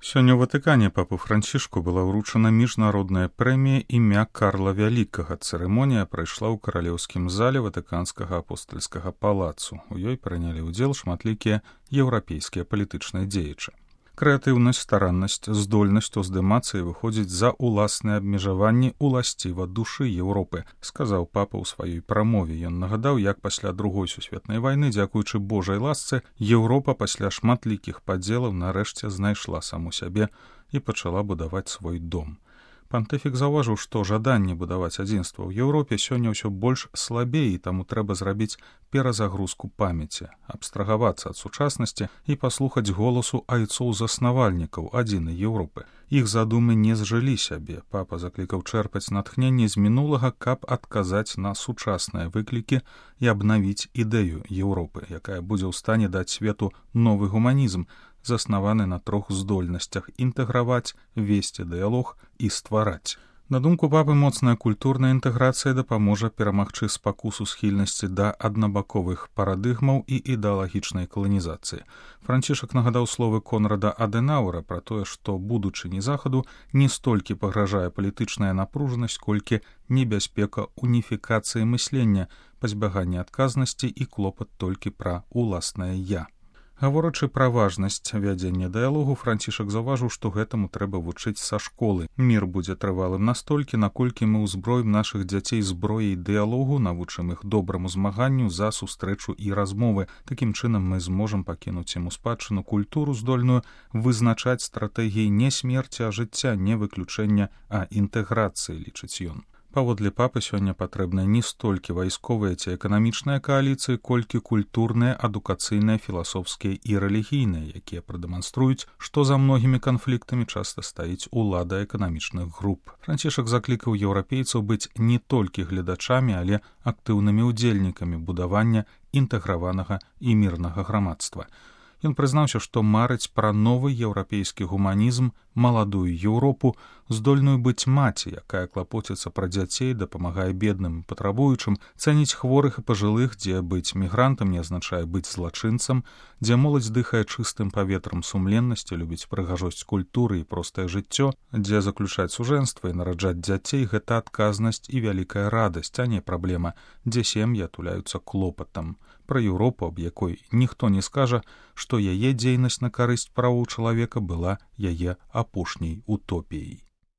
Сёння ў Ватыкане папу Францішку была ўручана міжнародная прэмія імя Карла Вялікага. Цырымонія прайшла ў каралеўскім зале ватыканскага апостальскага палацу. У ёй прынялі ўдзел шматлікія еўрапейскія палітычныя дзеячы. Крэатыўнасць, стараннасць, здольнасць уздымацца і выходзіць за ўласныя абмежаванні уласціва душы Еўропы, сказаў папа ў сваёй прамове. Ён нагадаў, як пасля Другой сусветнай вайны, дзякуючы Божай ласцы, Еўропа пасля шматлікіх падзелаў нарэшце знайшла саму сябе і пачала будаваць свой дом. Пантыфік заўважыў, што жаданне будаваць адзінства ў Еўропе сёння ўсё больш слабее, і таму трэба зрабіць перазагрузку памяці, абстрагавацца ад сучаснасці і паслухаць голасу айцоў-заснавальнікаў адзінай Еўропы. Іх задумы не зжылі сябе. Папа заклікаў чэрпаць натхненне з мінулага, каб адказаць на сучасныя выклікі і абнавіць ідэю Еўропы, якая будзе ў стане даць свету новы гуманізм, заснаваны на 3 здольнасцях: інтэграваць, весці дыялог і ствараць. На думку папы, моцная культурная інтэграцыя дапаможа перамагчы спакусу схільнасці да аднабаковых парадыгмаў і ідэалагічнай каланізацыі. Францішак нагадаў словы Конрада Адэнаўра пра тое, што будучыні захаду не столькі пагражае палітычная напружанасць, колькі небяспека уніфікацыі мыслення, пазбяганне адказнасці і клопат толькі пра уласнае «я». Гаворачы пра важнасць вядзення дыялогу, Францішак заўважыў, што гэтаму трэба вучыць са школы. Мір будзе трывалым настолькі, наколькі мы ўзброім нашых дзяцей зброяй дыялогу, навучым іх добраму змаганню за сустрэчу і размовы. Такім чынам мы зможам пакінуць ім у спадчыну культуру, здольную вызначаць стратэгіі не смерці, а жыцця, не выключэння, а інтэграцыі, лічыць ён. Паводле папы, сёння патрэбныя не столькі вайсковыя ці эканамічныя кааліцыі, колькі культурныя, адукацыйныя, філасофскія і рэлігійныя, якія прадэманструюць, што за многімі канфліктамі часта стаіць улада эканамічных груп. Францішак заклікаў еўрапейцаў быць не толькі гледачамі, але актыўнымі ўдзельнікамі будавання інтэграванага і мірнага грамадства. Ён прызнаўся, што марыць пра новы еўрапейскі гуманізм, маладую Еўропу, здольную быць маці, якая клапоціцца пра дзяцей, дапамагае бедным і патрабуючым, цэніць хворых і пажылых, дзе быць мігрантам не азначае быць злачынцам, дзе моладзь дыхае чыстым паветрам сумленнасці, любіць прыгажосць культуры і простае жыццё, дзе заключаць сужэнства і нараджаць дзяцей — гэта адказнасць і вялікая радасць, а не праблема, дзе сем'і атуляюцца клопатам. Пра Еўропу, аб якой ніхто не скажа, што яе дзейнасць на карысць правоў чалавека была яе апошняй утопіяй.